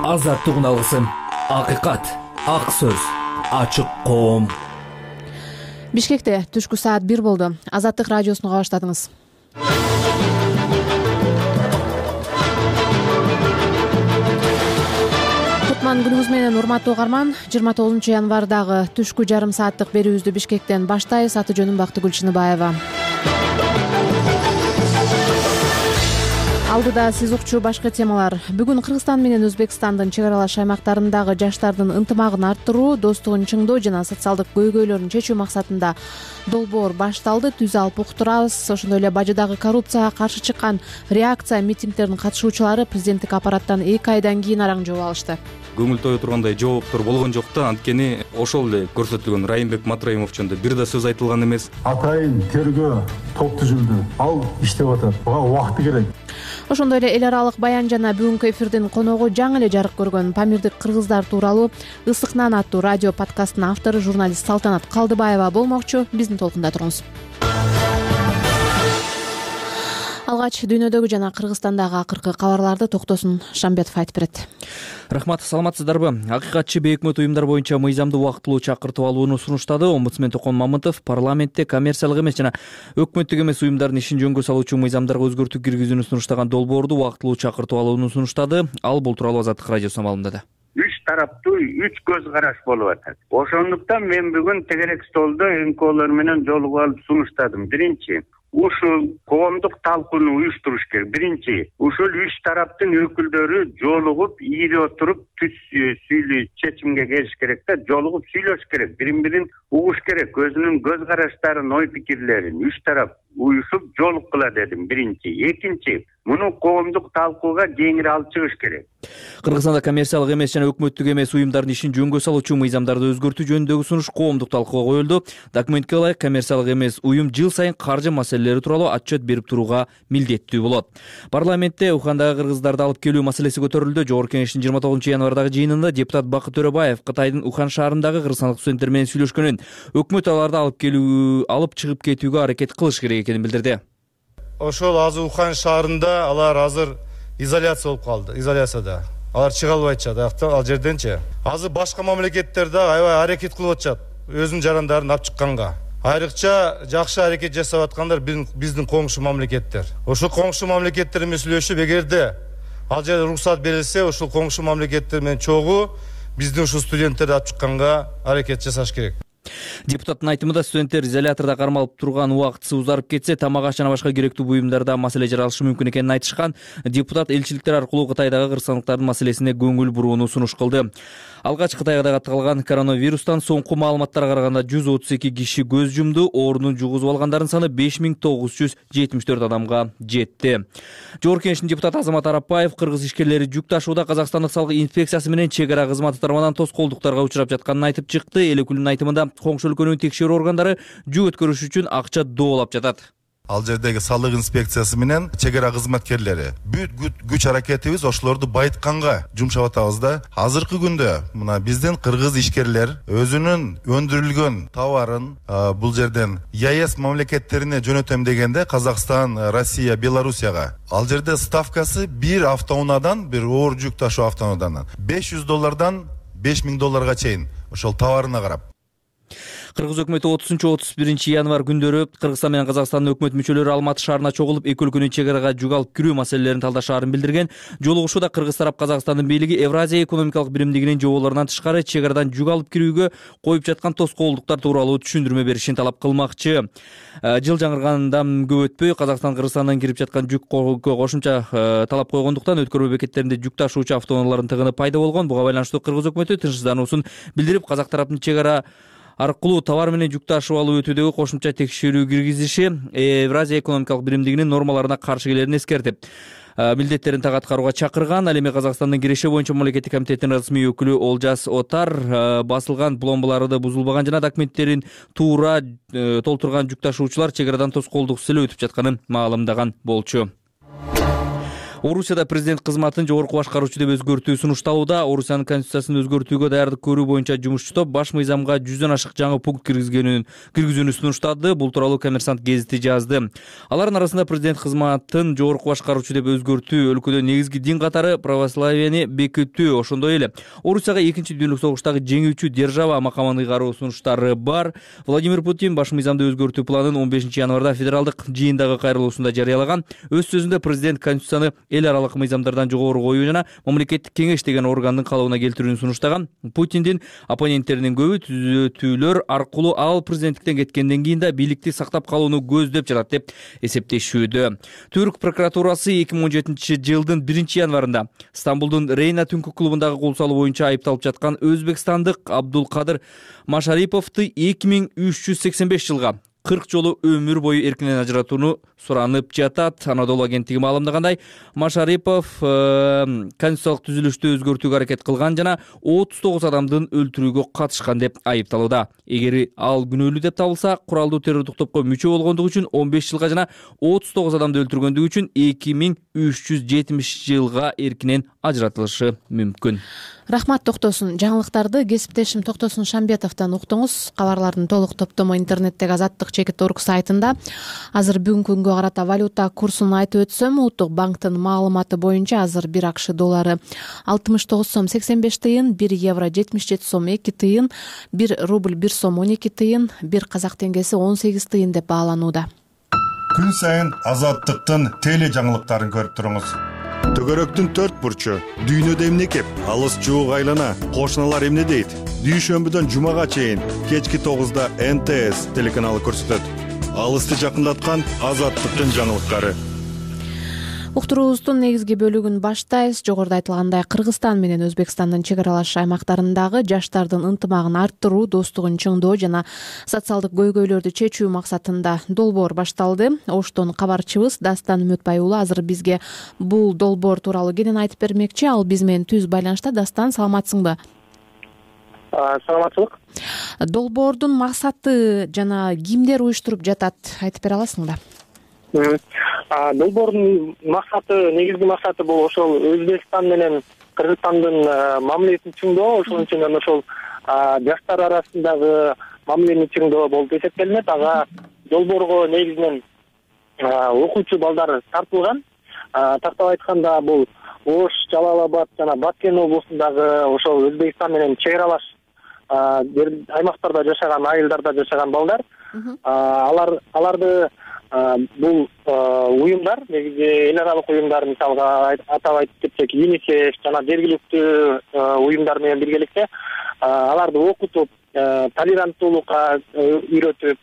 азаттык алгысым, акыйкат, ак сөз, ачык коом. Бишкекте түшкү саат 1 болду. Азаттык радиосуну баштадыңыз. Кутман күнүңүз менен урматтуу угарман. 29 январдагы түшкү жарым сааттык берүүбүздү Бишкектен баштайбыз. Аты жөнүм Бакты Гүлчиныбаева. Алдыда сиз укчу башка темалар. Бүгүн Кыргызстан менен Өзбекстандын чек аралаш аймактарындагы жаштардын ынтымагын арттыруу, достугун чыңдоо жана социалдык көйгөйлөрүн чечүү максатында долбоор башталды. Түз алып уктурабыз. Ошондой эле Бажыдагы коррупцияга каршы чыккан реакция митингдердин катышуучулары президенттик аппараттан 2 айдан кийин араң жооп алышты. Көңүл тое тургандай жооптор болгон жок да, анткени ошол эле көрсөтүлгөн Райымбек Матраимов жөнүндө бир да сөз айтылган эмес. Атайын тергөө топ түзүлдү. Ал иштеп атат. Буга убакыт керек. Ошондой эле эл аралык баян жана бүгүнкү эфирдин коногу жаңы эле жарык көргөн Памирдик кыргыздар тууралуу Ысык нан аттуу радио подкастынын автору журналист Салтанат Калдыбаева болмокчу. Биздин толкунда туруңуз. Алгач дүйнөдөгү жана Кыргызстандагы акыркы кабарларды Токтосун Шамбетов айтып берет. Рахмат, саламатсыздарбы? Акыйкатчы бейөкмөт уюмдар боюнча мыйзамдуу убактылуу чакыртып алууну сунуштады. Омбудсмен Токон Мамытов парламентте коммерциялык эмес жана өкмөттүк эмес уюмдардын ишин жөнгө салуучу мыйзамдарга өзгөртүү киргизүүнү сунуштаган долбоорду убактылуу чакыртып алууну сунуштады. Ал бул тууралуу Азаттык радиосуна маалымдады. 3 тараптуу 3 көз караш болуп атат. Ошондуктан мен бүгүн тегерек столдо НКОлор менен жолугуп алып сунуштадым. Биринчи, ушул коомдук талкууну уюштуруш керек. Биринчи, ушул 3 тараптын өкүлдөрү жолугуп, ийип отуруп чечимге келиш керек да, жолугуп сүйлөш керек, бирин-бирин угуш керек, өзүнүн көз караштарын, ой пикирлерин 3 тарап уюшуп жолуккула дедим. Биринчи. Экинчи, муну коомдук талкууга кеңири алып чыгыш керек. Кыргызстанда коммерциялык эмес жана өкмөттүк эмес уюмдардын ишин жөнгө салуучу мыйзамдарды өзгөртүү жөнүндөгү сунуш коомдук талкууга коюлду. Документке ылайык, коммерциялык эмес уюм жыл сайын каржы маселелери тууралуу отчет берип турууга милдеттүү болот. Парламентте Ухандагы кыргыздарды алып келүү маселеси көтөрүлдү. Жогорку Кеңештин 29 январдагы жыйынында депутат Бакыт Төрөбаев Кытайдын Ухан шаарындагы кыргызстандык студенттер менен сүйлөшкөнүн, өкмөт аларды алып чыгып кетүүгө аракет кылыш керек экенин билдирди. Ошол азыр Ухан шаарында алар азыр изоляция болуп калды. Изоляцияда. Алар чыга албайт ал жерденчи. Азыр башка мамлекеттерде аябай аракет кылып атышат өзүнүн жарандарын алып чыкканга. Айрыкча жакшы аракет жасап аткандар биздин коңшу мамлекеттер. Ошол коңшу мамлекеттер менен сүйлөшүп, эгерде ал жерде уруксат берилсе, ошол коңшу мамлекеттер менен чогуу биздин ушул студенттерди алып чыкканга аракет жасаш керек. Депутаттын айтымында студенттер изолятордо кармалып турган убактысы узарып кетсе, тамак аш жана башка керектүү буюмдарда маселе жаралышы мүмкүн экенин айтышкан. Депутат элчиликтер аркылуу Кытайдагы кыргызстандыктардын маселесине көңүл бурууну сунуш кылды. Алгач Кытайда катталган коронавирустан соңку маалыматтарга караганда 132 киши көз жумду. Оорунун жугузуп алгандардын саны 5974 адамга жетти. Жогорку Кеңештин депутаты Азамат Арапбаев кыргыз ишкерлери жүк ташууда Казакстандык салык инспекциясы менен чек ара кызматы тарабынан тоскоолдуктарга учурап жатканын айтып чыкты. Эл өкүлүнүн айтымында коңшу өлкөнүн текшерүү органдары жүк өткөрүш үчүн акча доолап жатат. Ал жердеги салык инспекциясы менен чек ара кызматкерлери бүт күч аракетибиз ошолорду байытканга жумшап атабыз да. Азыркы күндө мына биздин кыргыз ишкерлер өзүнүн өндүрүлгөн товарын бул жерден ЕАЭС мамлекеттерине жөнөтөм дегенде Казакстан, Россия, Белоруссияга ал жерде ставкасы бир автоунаадан, бир оор жүк ташуу автоунаадан $500 $5000 чейин ошол товарына карап. Кыргыз өкмөтү 30-31 январ күндөрү Кыргызстан менен Казакстандын өкмөт мүчөлөрү Алматы шаарына чогулуп, эки өлкөнүн чек арага жүк алып кирүү маселелерин талдашаарын билдирген. Жолугушууда кыргыз тарап Казакстандын бийлиги Евразия экономикалык биримдигинин жоболорунан тышкары чек арадан жүк алып кирүүгө коюп жаткан тоскоолдуктар тууралуу түшүндүрмө беришин талап кылмакчы. Жыл жаңыргандан көп өтпөй Казакстан Кыргызстандан кирип жаткан жүк кошумча талап койгондуктан өткөрүү бекеттеринде жүк ташуучу автоунаалардын тыгыны пайда болгон. Буга байланыштуу кыргыз өкмөтү тынчсыздануусун билдирип, казак тараптын чек ара аркылуу товар менен жүк ташып алуу өтүүдөгү кошумча текшерүү киргизиши Евразия экономикалык биримдигинин нормаларына каршы келерин эскертип, милдеттерин так аткарууга чакырган. Ал эми Казакстандын киреше боюнча мамлекеттик комитетинин расмий өкүлү Олжас Отар басылган пломбаларды бузулбаган жана документтерин туура толтурган жүк ташуучулар чек арадан тоскоолдук силөө өтүп жатканын маалымдаган болчу. Орусияда президент кызматын жогорку башкаруучу деп өзгөртүү сунушталууда. Орусиянын конституциясын өзгөртүүгө даярдык көрүү боюнча жумушчу топ баш мыйзамга 100дөн ашык жаңы пункт киргизүүнү сунуштады. Бул тууралуу Коммерсант гезити жазды. Алардын арасында президент кызматын жогорку башкаруучу деп өзгөртүү, өлкөдө негизги дин катары православияны бекитүү, ошондой эле Орусияга экинчи дүйнөлүк согуштагы жеңүүчү держава макамын ыйгаруу сунуштары бар. Владимир Путин баш мыйзамды өзгөртүү планын 15 январда федералдык жыйындагы кайрылуусунда жарыялаган. Өз сөзүндө президент конституцияны эл аралык мыйзамдардан жогору коюу жана мамлекеттик кеңеш деген органдын калыбына келтирүүнү сунуштаган. Путиндин оппоненттеринин көбү түзөтүүлөр аркылуу ал президенттиктен кеткенден кийин да бийликти сактап калууну көздөп жатат деп эсептешүүдө. Түрк прокуратурасы 2017 жылдын 1 январында Стамбулдун Рейна түнкү клубундагы кол салуу боюнча айыпталып жаткан өзбекстандык Абдулкадыр Машариповду 2385 жылга 40 жолу өмүр бою эркинен ажыратууну суранып жатат. Анадолу агенттиги маалымдагандай, Машарипов конституциялык түзүлүштү өзгөртүүгө аракет кылган жана 39 адамдын өлтүрүүгө катышкан деп айыпталууда. Эгер ал күнөөлүү деп табылса, куралдуу террордук топко мүчө болгондугу үчүн 15 жылга жана 39 адамды өлтүргөндүгү үчүн 2370 жылга эркинен ажыратылышы мүмкүн. Рахмат Токтосун. Жаңылыктарды кесиптешим Токтосун Шамбетовдон уктуңуз. Кабарлардын толук топтому интернеттеги Азаттык.org сайтында. Азыр бүгүнкү күнгө карата валюта курсун айтып өтсөм, Улуттук банктын маалыматы боюнча азыр 1 АКШ доллары 69 сом 85 тыйын, 1 евро 77 сом 2 тыйын, 1 рубль 1 сом 12 тыйын, 1 казак теңгеси 18 тыйын деп бааланууда. Күн сайын Азаттыктын теле жаңылыктарын көрүп туруңуз. Төгөрөктүн 4 бурчу, дүйнөдө эмне кеп, алыс жуук айлана, кошуналар эмне дейт? Дүйшөмбүдөн жумага чейин кечки 9да НТС телеканалы көрсөтөт. Алысты жакындаткан Азаттыктын жаңылыктары. Уктуруубуздун негизги бөлүгүн баштайбыз. Жогоруда айтылгандай, Кыргызстан менен Өзбекстандын чек аралаш аймактарындагы жаштардын ынтымагын арттыруу, достугун чыңдоо жана социалдык көйгөйлөрдү чечүү максатында долбоор башталды. Оштон кабарчыбыз Дастан Үмөтбай уулу азыр бизге бул долбоор тууралуу кенен айтып бермекчи. Ал биз менен түз байланышта. Дастан, саламатсыңбы? Саламатчылык. Долбоордун максаты жана кимдер уюштуруп жатат, айтып бере аласыңбы? Долбоордун максаты, негизги максаты бул ошол Өзбекстан менен Кыргызстандын мамилесин чыңдоо, ошол үчүн ошол жаштар арасындагы мамилени чыңдоо болуп эсептелинет. Ага долбоорго негизинен окуучу балдар тартылган. Тактап айтканда, бул Ош, Жалал Абад жана Баткен облусундагы ошол Өзбекстан менен чек аралаш аймактарда жашаган, айылдарда жашаган балдар. Аларды бул уюмдар, негизи эл аралык уюмдар, мисалга атап айтып кетсек, ЮНИСЕФ жана жергиликтүү уюмдар менен биргеликте аларды окутуп, толеранттуулукка үйрөтүп,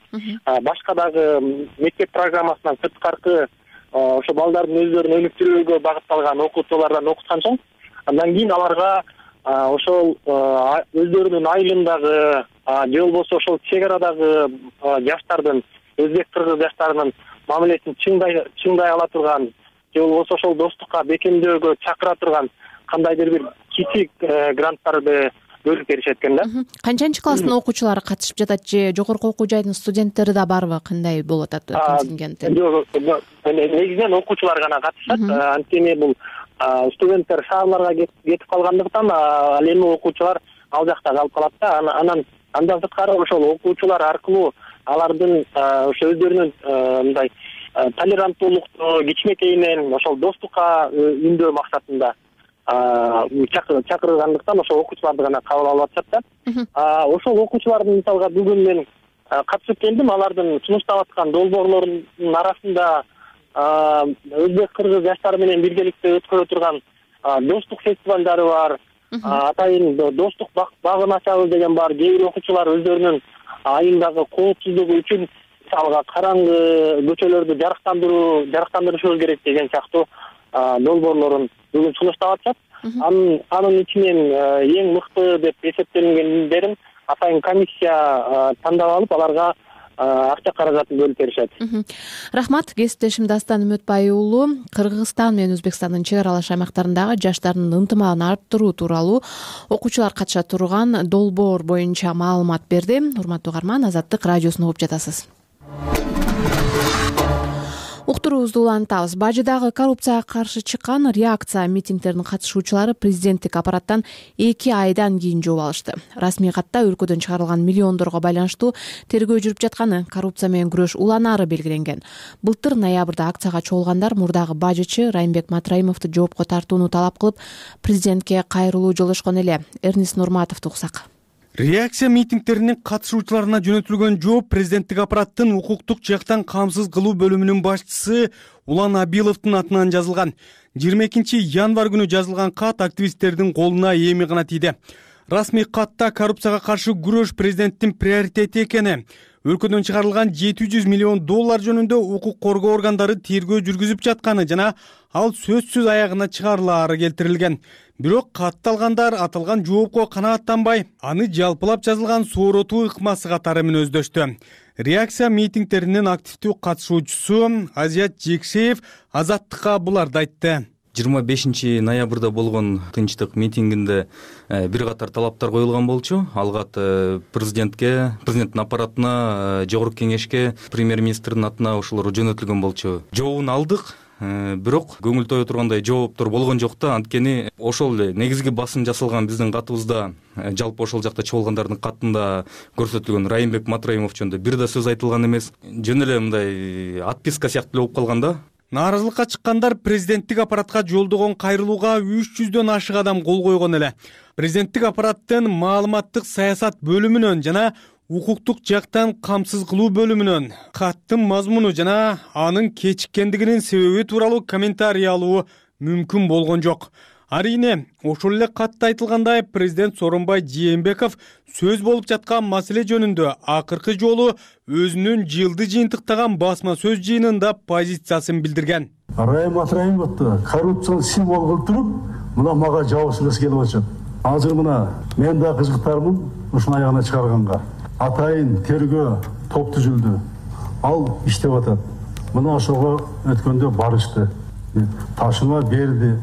башка дагы мектеп программасынан сырткаркы ошо балдардын өздөрүн өнүктүрүүгө багытталган окутуулардан окуткан соң, андан кийин аларга ошол өздөрүнүн айылындагы же болбосо ошол чек арадагы жаштардын, өзбек кыргыз жаштарынын мамилесин чыңдай ала турган, же болбосо ошол достукка бекемдөөгө чакыра турган кандайдыр бир кичик гранттарды бөлүп беришет экен да. Канчанчы класстын окуучулары катышып жатат же жогорку окуу жайдын студенттери да барбы? Кандай болуп атат контингенти? Негизинен окуучулар гана катышат. Анткени бул студенттер шаарларга кетип калгандыктан ал эми окуучулар ал жакта калып калат да. Андан сырткары ошол окуучулар аркылуу алардын ошо өздөрүнүн мындай толеранттуулукту кичинекейинен ошол достукка үндөө максатында чакырылгандыктан ошол окуучуларды гана кабыл алып атышат да. Ошол окуучулардын мисалга бүгүн мен катышып келдим. Алардын сунуштап аткан долбоорлорунун арасында өзбек кыргыз жаштары менен биргеликте өткөрө турган достук фестивалдары бар. Атайын достук багын ачабыз деген бар. Кээ бир окуучулар өздөрүнүн айылдагы коопсуздугу үчүн мисалга караңгы көчөлөрдү жарыктандырышыбыз керек деген сыяктуу долбоорлорун бүгүн сунуштап атышат. Анын ичинен эң мыкты деп эсептелгендерин атайын комиссия тандап алып, аларга акча каражатын бөлүп беришет. Рахмат. Кесиптешим Дастан Үмөтбай уулу Кыргызстан менен Өзбекстандын чек аралаш аймактарындагы жаштардын ынтымагын арттыруу тууралуу окуучулар катыша турган долбоор боюнча маалымат берди. Урматтуу угарман, Азаттык радиосун угуп жатасыз. Уктуруубузду улантабыз. Бажыдагы коррупцияга каршы чыккан реакция митингдердин катышуучулары президенттик аппараттан 2 айдан кийин жооп алышты. Расмий катта өлкөдөн чыгарылган миллиондорго байланыштуу тергөө жүрүп жатканы, коррупция менен күрөш уланары белгиленген. Былтыр ноябрда акцияга чогулгандар мурдагы бажычы Райымбек Матраимовду жоопко тартууну талап кылып, президентке кайрылуу жолдошкон эле. Эрнис Нурматовду уксак. Реакция митингдеринин катышуучуларына жөнөтүлгөн жооп президенттик аппараттын укуктук жактан камсыз кылуу бөлүмүнүн башчысы Улан Абиловдун атынан жазылган. 22 январь күнү жазылган кат активисттердин колуна эми гана тийди. Расмий катта коррупцияга каршы күрөш президенттин приоритети экени, өлкөдөн чыгарылган $700 миллион жөнүндө укук коргоо органдары тергөө жүргүзүп жатканы жана ал сөзсүз аягына чыгарылаары келтирилген. Бирок катталгандар аталган жоопко канааттанбай, аны жалпылап жазылган сооротуу ыкмасы катары менен өздөштү. Реакция митингдеринин активдүү катышуучусу Азият Жекшеев Азаттыкка буларды айтты. 25 ноябрда болгон тынчтык митингинде бир катар талаптар коюлган болчу. Алгат президенттин аппаратына, жогорку кеңешке, премьер-министрдин атына ошолор жөнөтүлгөн болчу. Жообун алдык. Бирок көңүл тое тургандай жооптор болгон жок да. Анткени ошол эле негизги басым жасалган биздин катыбызда, жалпы ошол жакта чогулгандардын катында көрсөтүлгөн Райымбек Матраимов жөнүндө бир да сөз айтылган эмес. Жөн эле мындай отписка сыяктуу эле болуп калган да. Нааразылыкка чыккандар президенттик аппаратка жолдогон кайрылууга 300дөн ашык адам кол койгон эле. Президенттик аппараттын маалыматтык саясат бөлүмүнөн жана укуктук жактан камсыз кылуу бөлүмүнөн каттын мазмуну жана анын кечиккендигинин себеби тууралуу комментарий алуу мүмкүн болгон жок. Арине, ошол эле катта айтылгандай, президент Сооронбай Жээнбеков сөз болуп жаткан маселе жөнүндө акыркы жолу өзүнүн жылды жыйынтыктаган басма сөз жыйынында позициясын билдирген. Райым Матраимовду коррупциялык символ кылып туруп, мына мага жабышкысы келип атат. Азыр мына мен да кызыктармын ушуну аягына чыгарганга. Атайын тергөө топ түзүлдү. Ал иштеп атат. Мына ошого өткөндө барышты. Ташыма берди.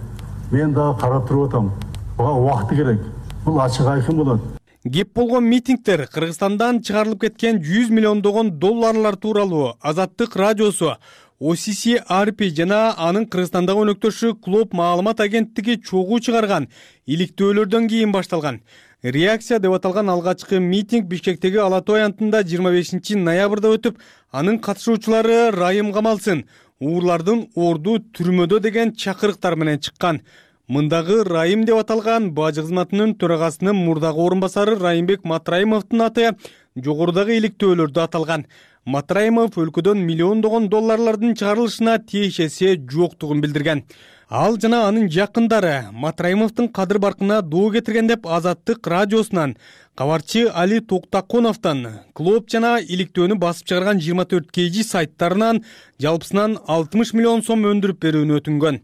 Мен дагы карап туруп атам. Буга убакыт керек. Бул ачык айкын болот. Кеп болгон митингдер Кыргызстандан чыгарылып кеткен $100 миллион тууралуу Азаттык радиосу, OCC-RP жана анын Кыргызстандагы өнөктөшү Клоп маалымат агенттиги чогуу чыгарган иликтөөлөрдөн кийин башталган. Реакция деп аталган алгачкы митинг Бишкектеги Ала Той аянтында 25 ноябрда өтүп, анын катышуучулары Райым камалсын, уурлардын орду түрмөдө деген чакырыктар менен чыккан. Мындагы Райым деп аталган бажы кызматынын төрагасынын мурдагы орун басары Райымбек Матраимовдун аты жогорудагы иликтөөлөрдө аталган. Матраимов өлкөдөн миллиондогон долларлардын чыгарылышына тиешеси жоктугун билдирген. Ал жана анын жакындары Матраимовдун кадыр баркына доо кетирген деп Азаттык радиосунан кабарчы Али Токтаконовдон Клоп жана иликтөөнү басып чыгарган 24 KG сайттарынан жалпысынан $60 миллион өндүрүп берүүнү өтүнгөн.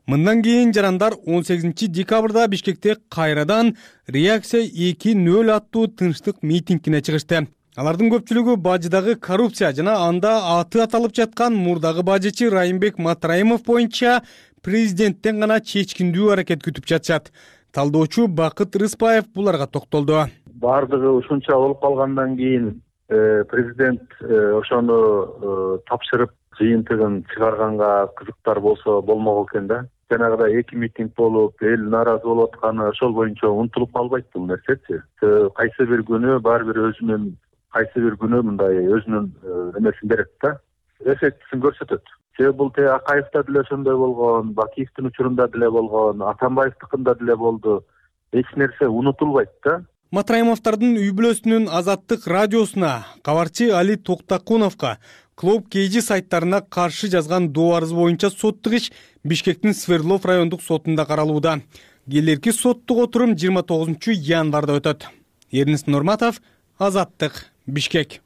Мындан кийин жарандар 18 декабрда Бишкекте кайрадан реакция 2.0 аттуу тынчтык митингине чыгышты. Алардын көпчүлүгү бажыдагы коррупция жана анда аты аталып жаткан мурдагы бажычы Райымбек Матраимов боюнча президенттен гана чечкиндүү аракет күтүп жатышат. Талдоочу Бакыт Рыспаев буларга токтолду. Бардыгы ушунча болуп калгандан кийин президент ошону тапшырып жыйынтыгын чыгарганга кызыктар болсо болмок экен да. Жанагыдай 2 митинг болуп, эл нааразы болуп атканы ошол боюнча унутулуп калбайт бул нерсечи. Кайсы бир күнү баары бир өзүнүн мындай өзүнүн эмесин берет да. Эффектисин көрсөтөт. Себеби бул Акаевда деле ошондой болгон, Бакиевдин учурунда деле болгон, Атамбаевдикинда деле болду. Эч нерсе унутулбайт да. Матраимовдордун үй бүлөсүнүн Азаттык радиосуна, кабарчы Али Токтаконовго, Клоп KG сайттарына каршы жазган доо арыз боюнча соттук иш Бишкектин Свердлов райондук сотунда каралууда. Келерки соттук отурум 29 январда өтөт. Эрнис Нурматов, Азаттык, Бишкек.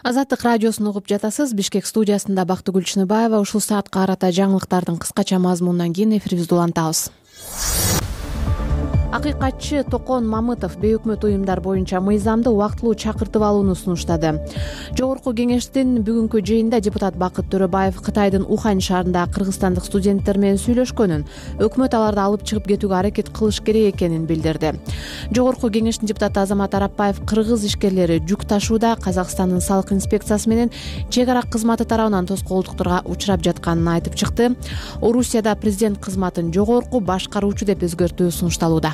Азаттык радиосун угуп жатасыз. Бишкек студиясында Бактыгүл Чыныбаева. Ушул саатка карата жаңылыктардын кыскача мазмунунан кийин эфирибизди улантабыз. Акыйкатчы Токон Мамытов бейөкмөт уюмдар боюнча мыйзамды убактылуу чакыртып алууну сунуштады. Жогорку кеңештин бүгүнкү жыйынында депутат Бакыт Төрөбаев Кытайдын Ухань шаарында кыргызстандык студенттер менен сүйлөшкөнүн, өкмөт аларды алып чыгып кетүүгө аракет кылыш керек экенин билдирди. Жогорку кеңештин депутаты Азамат Арапбаев кыргыз ишкерлери жүк ташууда Казакстандын салык инспекциясы менен чек ара кызматы тарабынан тоскоолдуктарга учурап жатканын айтып чыкты. Орусияда президент кызматын жогорку башкаруучу деп өзгөртүү сунушталууда.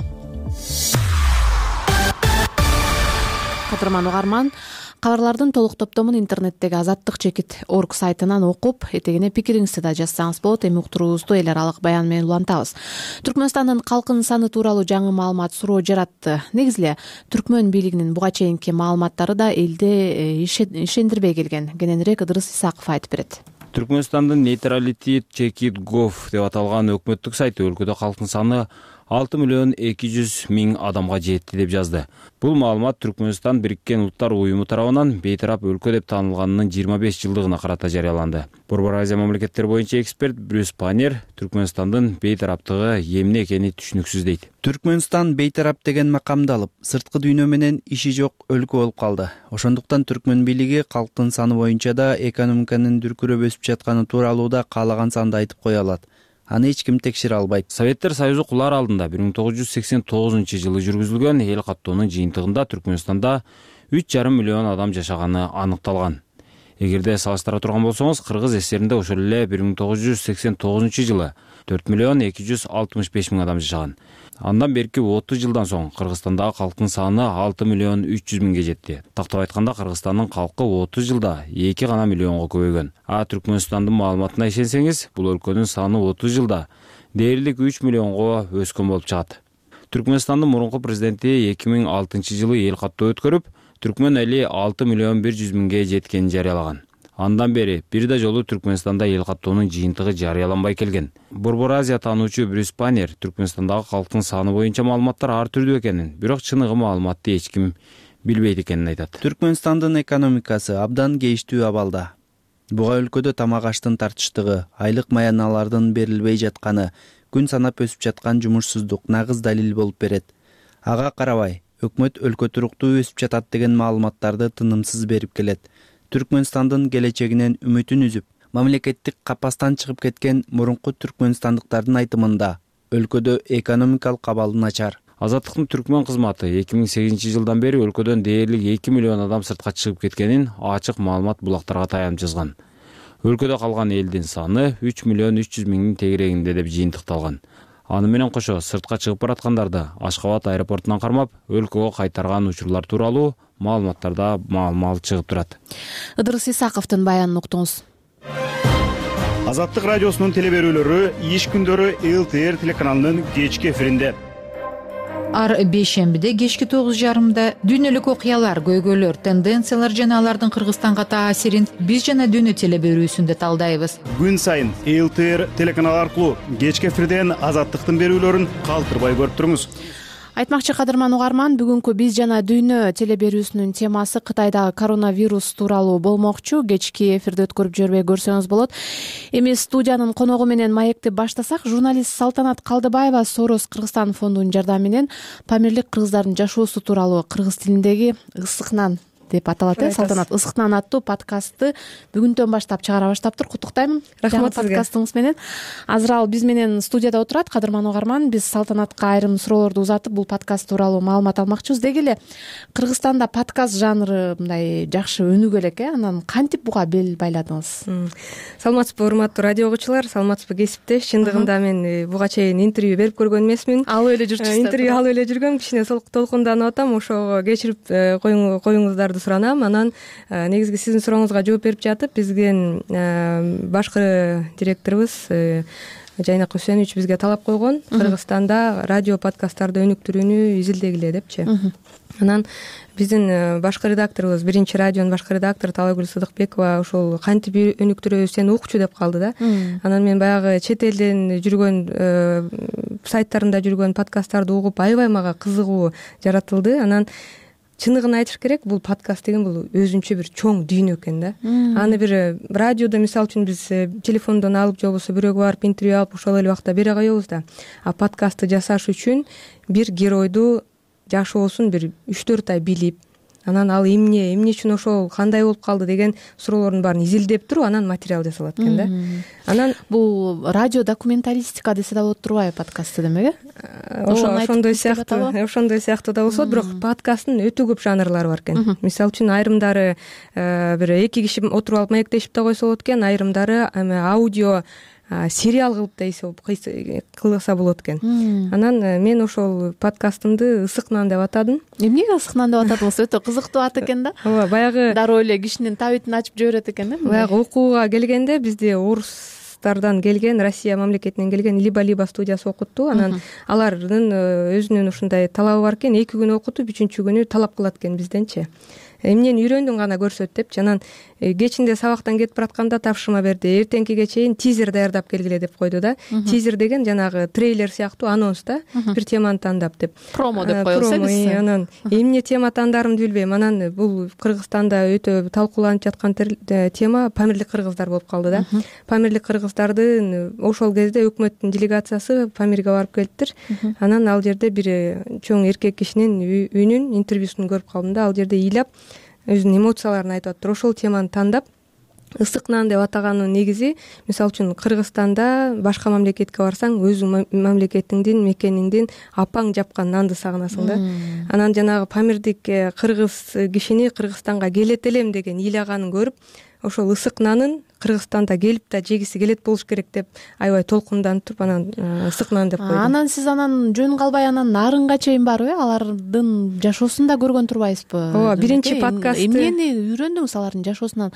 Кадырман угарман, кабарлардын толук топтомун интернеттеги azattik.org сайтынан окуп, этегине пикириңизди да жазсаңыз болот. Эми уктуруубузду эл аралык баян менен улантабыз. Түркмөнстандын калкынын саны тууралуу жаңы маалымат суроо жаратты. Негизи эле Түркмөн бийлигинин буга чейинки маалыматтары да элди ишендирбей келген. Кененирээк Ыдырыс Исаков айтып берет. Түркмөнстандын neutrality.gov деп аталган өкмөттүк сайты өлкөдө калктын саны 6.200.000 адамга жетти деп жазды. Бул маалымат Түркмөнстан Бириккен Улуттар уюму тарабынан бейтарап өлкө деп таанылганынын 25 жылдыгына карата жарыяланды. Борбор Азия мамлекеттери боюнча эксперт Брюс Панер Түркмөнстандын бейтараптыгы эмне экени түшүнүксүз дейт. Түркмөнстан бейтарап деген макамды алып, сырткы дүйнө менен иши жок өлкө болуп калды. Ошондуктан Түркмөн бийлиги калктын саны боюнча да экономиканын дүркүрөп өсүп жатканы тууралуу да каалаган санды айтып кое алат. Аны эч ким текшере албайт. Советтер Союзу кулар алдында 1989 жылы жүргүзүлгөн эл каттоонун жыйынтыгында Түркмөнстанда 3,5 миллион адам жашаганы аныкталган. Эгерде салыштыра турган болсоңуз, Кыргыз ССРинде ошол эле 1989 жылы 4,265,000 адам жашаган. Андан берки 30 жылдан соң Кыргызстандагы калктын саны 6,300,000 жетти. Тактап айтканда, Кыргызстандын калкы 30 жылда 2 миллионго көбөйгөн. Түркмөнстандын маалыматына ишенсеңиз, бул өлкөнүн саны 30 жылда дээрлик 3 миллионго өскөн болуп чыгат. Түркмөнстандын мурунку президенти 2006 жылы эл каттоо өткөрүп, Түркмөн эли 6,100,000 жеткенин жарыялаган. Андан бери бир да жолу Түркмөнстанда эл каттоонун жыйынтыгы жарыяланбай келген. Борбор Азия таануучу Брюс Панер Түркмөнстандагы калктын саны боюнча маалыматтар ар түрдүү экенин, бирок чыныгы маалыматты эч ким билбейт экенин айтат. Түркмөнстандын экономикасы абдан кейиштүү абалда. Буга өлкөдө тамак аштын тартыштыгы, айлык маяналардын берилбей жатканы, күн санап өсүп жаткан жумушсуздук нагыз далил болуп берет. Ага карабай, өкмөт өлкө туруктуу өсүп жатат деген маалыматтарды тынымсыз берип келет. Түркмөнстандын келечегинен үмүтүн үзүп, мамлекеттик капастан чыгып кеткен мурунку түркмөнстандыктардын айтымында өлкөдө экономикалык абал начар. Азаттыктын Түркмөн кызматы 2008 жылдан бери өлкөдөн дээрлик 2 миллион адам сыртка чыгып кеткенин ачык маалымат булактарга таянып жазган. Өлкөдө калган элдин саны 3,300,000 тегерегинде деп жыйынтыкталган. Аны менен кошо сыртка чыгып бараткандарды Ашкабад аэропортунан кармап, өлкөгө кайтарган учурлар тууралуу маалыматтарда маал-маал чыгып турат. Ыдырыс Исаковдун баянын уктуңуз. Азаттык радиосунун телеберүүлөрү иш күндөрү ЛТР телеканалынын кечки эфиринде. Ар бейшембиде кечки 9:30 дүйнөлүк окуялар, көйгөйлөр, тенденциялар жана алардын Кыргызстанга таасирин биз жана дүйнө телеберүүсүндө талдайбыз. Күн сайын ЛТР телеканалы аркылуу кечки эфирден Азаттыктын берүүлөрүн калтырбай көрүп туруңуз. Айтмакчы кадырман угарман, бүгүнкү биз жана дүйнө телеберүүсүнүн темасы Кытайдагы коронавирус тууралуу болмокчу. Кечки эфирди өткөрүп жибербей көрсөңүз болот. Эми студиянын коногу менен маекти баштасак, журналист Салтанат Калдыбаева Сорос Кыргызстан фондунун жардамы менен Памирлик кыргыздардын жашоосу тууралуу кыргыз тилиндеги Ысыкнан деп аталат. Салтанат, Ысыкнан аттуу подкастты бүгүндөн баштап чыгара баштаптыр. Куттуктайм. Рахмат сизге. Подкастыңыз менен. Азыр ал биз менен студияда отурат. Кадырман угарман, биз Салтанатка айрым суроолорду узатып, бул подкаст тууралуу маалымат алмакчыбыз. Деги эле Кыргызстанда подкаст жанры мындай жакшы өнүгө элек, анан кантип буга бел байладыңыз? Саламатсызбы, урматтуу радио угуучулар, саламатсызбы кесиптеш. Чындыгында мен буга чейин интервью берип көргөн эмесмин. Алып эле жүрчүсүз. Интервью алып эле жүргөм, кичине толкунданып атам, ошого кечирип коюңуздарды суранам. Анан негизги сиздин сурооңузга жооп берип жатып, бизден башкы директорубуз Жайнак Үсенович бизге талап койгон Кыргызстанда радио подкасттарды өнүктүрүүнү изилдегиле депчи. Анан биздин башкы редакторубуз, биринчи радионун башкы редактору Талайгүл Сыдыкбекова ушул кантип өнүктүрөбүз, сени укчу деп калды да. Анан мен баягы чет элден жүргөн сайттарында жүргөн подкасттарды угуп, аябай мага кызыгуу жаратылды. Анан чындыгын айтыш керек, бул подкаст деген бул өзүнчө бир чоң дүйнө экен да. Аны бир радиодо мисалы үчүн биз телефондон алып же болбосо бирөөгө барып интервью алып ошол эле убакта бере коебуз да. А подкастты жасаш үчүн бир геройду жашоосун бир 3-4 ай билип, анан ал эмне үчүн ошол кандай болуп калды деген суроолордун баарын изилдеп туруп анан материал жасалат экен да. Анан бул радио документалистика десе да болот турбайбы подкастты демек, ошондой сыяктуу да болсо, бирок подкасттын өтө көп жанрлары бар экен. Мисалы үчүн айрымдары бир 2 киши отуруп алып маектешип да койсо болот экен, айрымдары аудио сериал кылып да кылса болот экен. Анан мен ошол подкастымды Ысык нан деп атадым. Эмнеге Ысык нан деп атадыңыз? Өтө кызыктуу ат экен да. Ооба, баягы дароо эле кишинин табитин ачып жиберет экен да. Баягы окууга келгенде бизди орустардан келген, Россия мамлекетинен келген Либо студиясы окутту. Анан алардын өзүнүн ушундай талабы бар экен, 2 күн окутуп, 3-чү күнү талап кылат экен бизденчи. Эмнени үйрөндүң гана көрсөт депчи. Анан кечинде сабактан кетип баратканда тапшырма берди. Эртеңкиге чейин тизер даярдап келгиле деп койду да. Тизер деген жанагы трейлер сыяктуу анонс да, бир теманы тандап деп. Промо деп коесуз. Анан эмне тема тандарымды билбейм. Анан бул Кыргызстанда өтө талкууланып жаткан тема Памирлик кыргыздар болуп калды да. Памирлик кыргыздардын ошол кезде өкмөттүн делегациясы Памирге барып келиптир. Анан ал жерде бир чоң эркек кишинин үнүн, интервьюсун көрүп калдым да. Ал жерде ыйлап өзүнүн эмоцияларын айтып атыптыр. Ошол теманы тандап Ысык нан деп атаганын негизи, мисалы үчүн Кыргызстанда башка мамлекетке барсаң, өзүң мамлекетиңдин, мекениңдин апаң жапкан нанды сагынасың да. Анан жанагы Памирдик кыргыз кишини Кыргызстанга келет элем деген ыйлаганын көрүп, ошол Ысык нанын Кыргызстанда келип да жегиси келет болуш керек деп аябай толкунданып туруп, анан Ысык нан деп койдум. Анан сиз жөн калбай нарынга чейин барып, алардын жашоосун да көргөн турбайсызбы? Ооба, биринчи подкастты эмнени үйрөндүңүз алардын жашоосунан?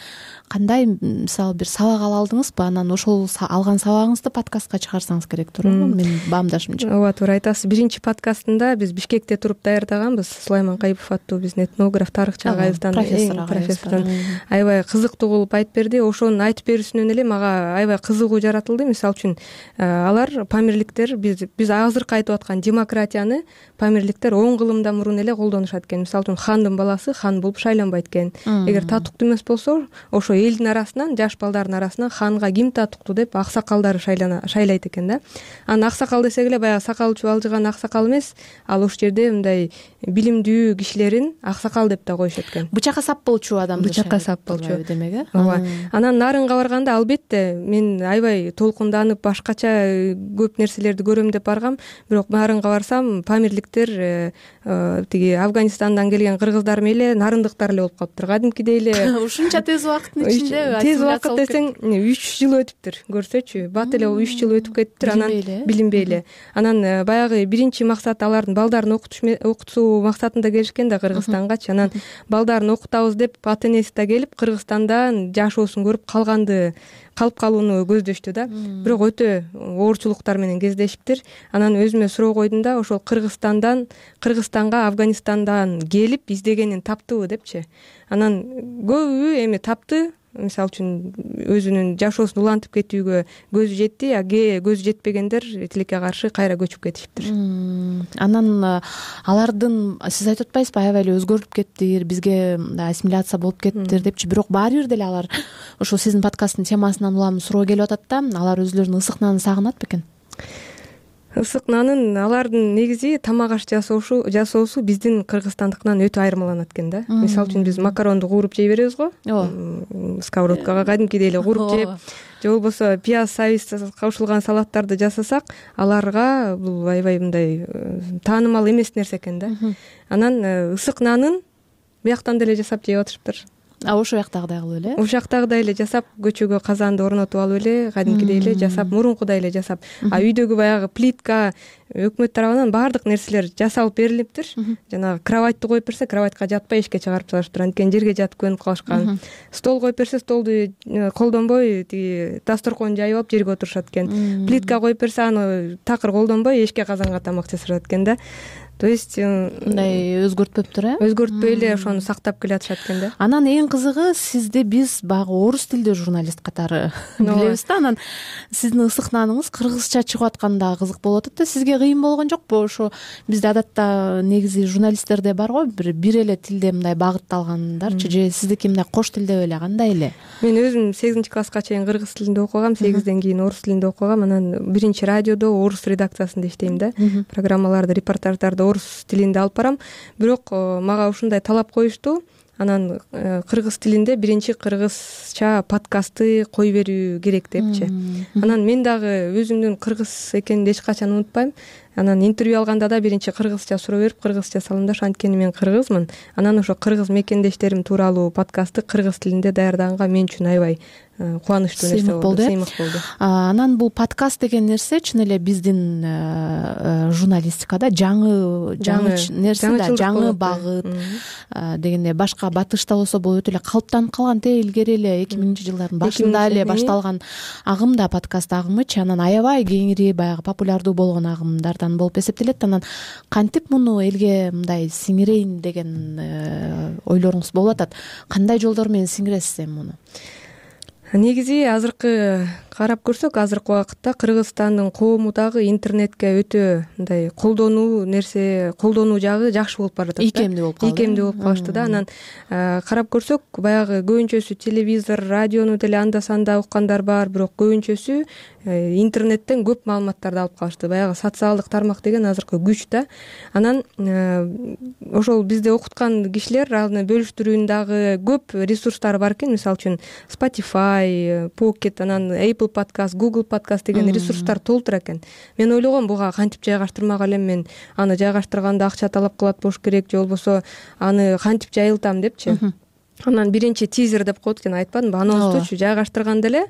Кандай мисалы бир сабак ала алдыңызбы? Анан ошол алган сабагыңызды подкастка чыгарсаңыз керек туурабы? Менин баамдашымча. Ооба, туура айтасыз. Биринчи подкастында биз Бишкекте туруп даярдаганбыз. Сулайман Кайыпов аттуу биздин этнограф, тарыхчы агайыбыздан, профессордон аябай кызыктуу кылып айтып берди. Ошонун айтып берүүсүнөн эле мага аябай кызыгуу жаратылды. Мисалы үчүн алар памирликтер биз азыркы айтып аткан демократияны памирликтер 10 кылымдан мурун эле колдонушат экен. Мисалы үчүн хандын баласы хан болуп шайланбайт экен. Эгер татыктуу эмес болсо, ошо элдин арасынан, жаш балдардын арасынан ханга ким татыктуу деп аксакалдары шайлайт экен да. Анан аксакал десек эле баягы сакалы чубалжыган аксакал эмес, ал ошол жерде мындай билимдүү кишилерин аксакал деп да коюшат экен. Бычакка сап болчу адамды. Бычакка сап болчу демек, э? Ооба. Анан нарынга барганда албетте мен аябай толкунданып башкача көп нерселерди көрөм деп баргам, бирок нарынга барсам памирликтер тиги Афганистандан келген кыргыздар мейли нарындыктар эле болуп калыптыр. Кадимкидей эле ушунча тез убакыттын ичинде тез убакыт десең 3 жыл өтүптүр. Көрсөчү, бат эле 3 жыл өтүп кетиптир. Анан билинбей эле. Анан баягы биринчи максат алардын балдарын окутуу максатында келишкен да Кыргызстангачы. Анан балдарын окутабыз деп ата энеси да келип Кыргызстандан жашоосун көрүп калып калууну көздөштү да. Бирок өтө оорчулуктар менен кездешиптир. Анан өзүмө суроо койдум да, ошол Кыргызстанга Афганистандан келип издегенин таптыбы депчи. Анан көбү эми тапты. Мисалы үчүн өзүнүн жашоосун улантып кетүүгө көзү жетти, а көзү жетпегендер тилекке каршы кайра көчүп кетишиптир. Анан алардын сиз айтып атпайсызбы, аябай эле өзгөрүп кеттир, бизге ассимиляция болуп кеттир депчи, бирок баары бир деле алар ошол сиздин подкасттын темасынан улам суроо келип атат да, алар өзлөрүнүн ысык нанын сагынат бекен? Ысык нанын алардын негизи тамак аш жасоосу биздин кыргызстандыкынан өтө айырмаланат экен да. Мисалы үчүн биз макаронду кууруп жей беребиз го. Сковородкага кадимкидей эле кууруп жеп, же болбосо пияз, сабиз кошулган салаттарды жасасак, аларга бул аябай мындай таанымал эмес нерсе экен да. Анан ысык нанын бияктан деле жасап жеп атышыптыр. Ошол жактагыдай кылып эле? Ошол жактагыдай эле жасап, көчөгө казанды орнотуп алып эле, кадимкидей эле жасап, мурункудай эле жасап. А үйдөгү баягы плитка өкмөт тарабынан баардык нерселер жасалып берилиптир. Жанагы кроватьты коюп берсе, кроватька жатпай эшикке чыгарып салышыптыр. Анткени жерге жатып көнүп калышкан. Стол коюп берсе, столду колдонбой тиги дасторкон жайып алып жерге отурушат экен. Плитка коюп берсе, аны такыр колдонбой эшикке казанга тамак жасашат экен да. То есть мындай өзгөртпөптүр, өзгөртпөй эле ошону сактап келатышат экен да. Анан эң кызыгы, сизди биз баягы орус тилдүү журналист катары билебиз да. Анан сиздин ысыкнаныңыз кыргызча чыгып атканы дагы кызык болуп атат да. Сизге кыйын болгон жокпу? Ошо бизде адатта негизи журналисттерде бар го, бир эле тилде мындай багытталгандарчы, же сиздики мындай кош тилде беле, кандай эле? Мен өзүм 8-класска чейин кыргыз тилинде окугам, 8ден кийин орус тилинде окугам. Анан биринчи радиодо орус редакциясында иштейм да. Программаларды, репортаждарды орус тилинде алып барам. Бирок мага ушундай талап коюшту. Анан кыргыз тилинде биринчи кыргызча подкастты кой берүү керек депчи. Анан мен дагы өзүмдүн кыргыз экениmin эч качан унутпайм. Анан интервью алганда да биринчи кыргызча суроо берип, кыргызча саламдаш, анткени мен кыргызмын. Анан ошо кыргыз мекендештерим тууралуу подкастты кыргыз тилинде даярдаганга мен үчүн аябай кубанычтуу нерсе болду, сыймык болду. Анан бул подкаст деген нерсе чын эле биздин журналистикада жаңы нерсе да, жаңы багыт дегенде башка батышта болсо бул өтө эле калыптанып калган, илгери эле 2000-жылдардын башында эле башталган агым да, подкаст агымычы. Анан аябай кеңири баягы популярдуу болгон агымдардан болуп эсептелет. Анан кантип муну элге мындай сиңирейин деген ойлоруңуз болуп атат? Кандай жолдор менен сиңиресиз эми муну? Негизи азыркы карап көрсөк, азыркы убакытта Кыргызстандын коому дагы интернетке өтө мындай колдонуу жагы жакшы болуп баратат. Ийкемдүү болуп калышты да. Анан карап көрсөк, баягы көбүнчөсү телевизор, радиону деле анда санда уккандар бар, бирок көбүнчөсү интернеттен көп маалыматтарды алып калышты. Баягы социалдык тармак деген азыркы күч да. Анан ошол бизде окуткан кишилер аны бөлүштүрүүнүн дагы көп ресурстары бар экен. Мисалы үчүн Spotify, Pocket, анан Apple Podcast, Google Podcast деген ресурстар толтура экен. Мен ойлогом, буга кантип жайгаштырмак элем, мен аны жайгаштырганда акча талап кылат болуш керек, же болбосо аны кантип жайылтам депчи. Анан биринчи тизер деп коет экен, айтпадымбы? Анонстучу жайгаштырганда эле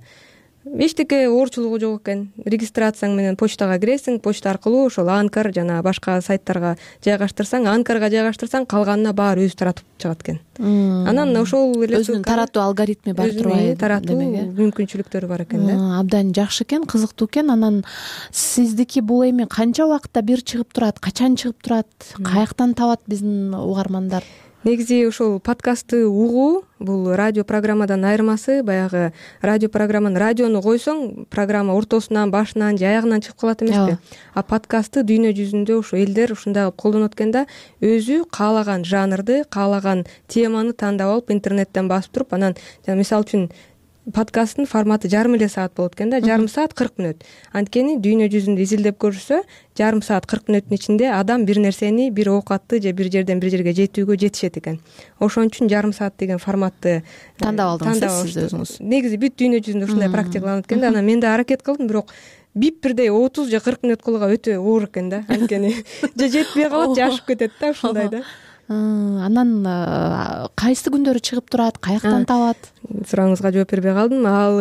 эчтеке оорчулугу жок экен. Регистрацияң менен почтага киресиң, почта аркылуу ошол Анкар жана башка сайттарга жайгаштырсаң, Анкарга жайгаштырсаң, калганына баары өзү таратып чыгат экен. Анан ошол эле өзүнүн таратуу алгоритми бар турбайбы? Таратуу мүмкүнчүлүктөрү бар экен да. Абдан жакшы экен, кызыктуу экен. Анан сиздики бул эми канча убакытта бир чыгып турат, качан чыгып турат, каяктан табат биздин угармандар? Негизи ошол подкастты угуу бул радио программадан айырмасы. Баягы радио программаны, радиону койсоң, программа ортосунан, башынан же аягынан чыгып калат эмеспи? А подкастты дүйнө жүзүндө ошо элдер ушундай кылып колдонот экен да. Өзү каалаган жанрды, каалаган теманы тандап алып интернеттен басып туруп, анан мисалы үчүн подкасттын форматы жарым эле саат болот экен да, жарым саат 40 мүнөт. Анткени дүйнө жүзүндө изилдеп көрүлсө, жарым саат 40 мүнөттүн ичинде адам бир нерсени, бир оокатты же бир жерден бир жерге жетүүгө жетишет экен. Ошон үчүн жарым саат деген форматты тандап алдыңыз сиз өзүңүз. Негизи бүт дүйнө жүзүндө ушундай практикаланат экен да. Анан мен да аракет кылдым, бирок бирдей 30 же 40 мүнөт кылууга өтө оор экен да. Анткени же жетпей калат, же ашып кетет да, ушундай да. Анан кайсы күндөрү чыгып турат, каяктан табат? Сурооңузга жооп бербей калдым. Ал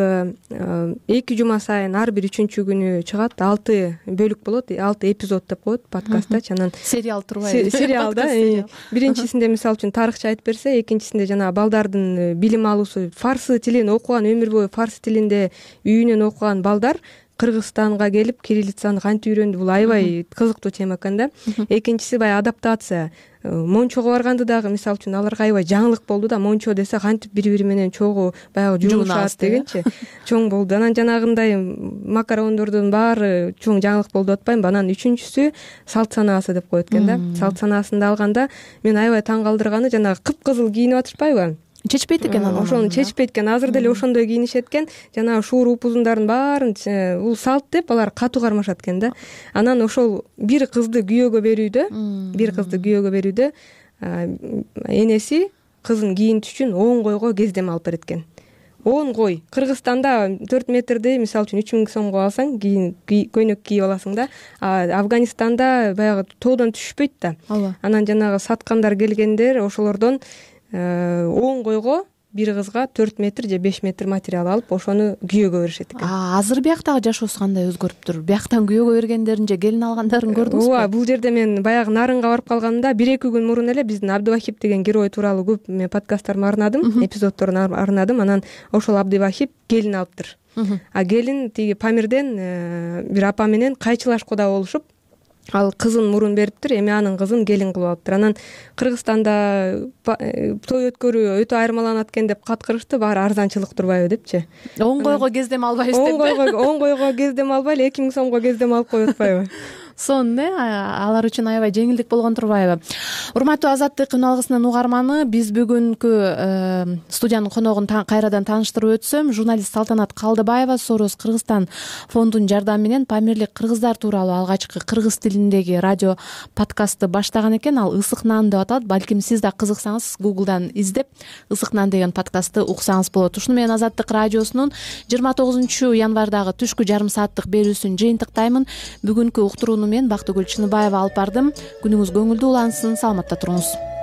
2 жума сайын ар бир 3-чү күнү чыгат. 6 бөлүк болот, 6 эпизод деп коет подкасттачы. Анан сериал турбайбы? Сериал да. Биринчисинде мисалы үчүн тарыхча айтып берсе, экинчисинде жана балдардын билим алуусу, фарсы тилин окуган, өмүр бою фарсы тилинде үйүнөн окуган балдар Кыргызстанга келип кириллицаны кантип үйрөндү? Бул аябай кызыктуу тема экен да. Экинчиси баягы адаптация. Мончого барганды дагы мисалы үчүн аларга аябай жаңылык болду да. Мончо десе кантип бири-бири менен чогуу баягы жуунушат дегенчи. Чоң болду. Анан жанагындай макарондордун баары чоң жаңылык болду деп атпаймынбы? Анан үчүнчүсү салт санаасы деп коет экен да. Салт санаасында алганда мен аябай таң калтырганы жанагы кыпкызыл кийинип атышпайбы? Чечпейт экен анан. Ошону чечпейт экен. Азыр деле ошондой кийинишет экен. Жанагы шуур упузундардын баарын бул салт деп алар катуу кармашат экен да. Анан ошол бир кызды күйөөгө берүүдө энеси кызын кийинтиш үчүн 10 койго кездеме алып берет экен. 10 кой. Кыргызстанда 4 метрди мисалы үчүн 3000 сомго алсаң, көйнөк кийип аласың да. Афганистанда баягы тоодон түшпөйт да. Анан жанагы саткандар келгендер ошолордон 10 койго бир кызга 4 метр же 5 метр материал алып, ошону күйөөгө беришет экен. Азыр бияктагы жашоосу кандай өзгөрүптүр? Бияктан күйөөгө бергендерин же келин алгандарын көрдүңүзбү? Ооба, бул жерде мен баягы Нарынга барып калганда 1-2 күн мурун эле биздин Абдывахип деген герой тууралуу көп мен подкасттарымды арнадым, эпизоддорун арнадым. Анан ошол Абдывахип келин алыптыр. А келин тиги Памирден бир апа менен кайчылашкуда болушуп, ал кызын мурун бериптир, эми анын кызын келин кылып алыптыр. Анан Кыргызстанда той өткөрүү өтө айырмаланат экен деп каткырышты, баары арзанчылык турбайбы депчи. Он койго кездем албайбыз деп. Он койго кездем албай эле 2000 сомго кездем алып коюп атпайбы? Сонун алар үчүн аябай жеңилдик болгон турбайбы? Урматтуу Азаттык үн алгысынын угарманы, биз бүгүнкү студиянын коногун кайрадан тааныштырып өтсөм, журналист Салтанат Калдыбаева Сорос Кыргызстан фондунун жардамы менен Памирлик кыргыздар тууралуу алгачкы кыргыз тилиндеги радио подкастты баштаган экен. Ал Ысык нан деп аталат. Балким сиз да кызыксаңыз Google'дан издеп Ысык нан деген подкастты уксаңыз болот. Ушуну менен Азаттык радиосунун 29 январдагы түшкү жарым сааттык берүүсүн жыйынтыктаймын. Бүгүнкү уктурууну мен Бактыгүл Чыныбаева алып бардым. Күнүңүз көңүлдүү улансын, саламатта туруңуз.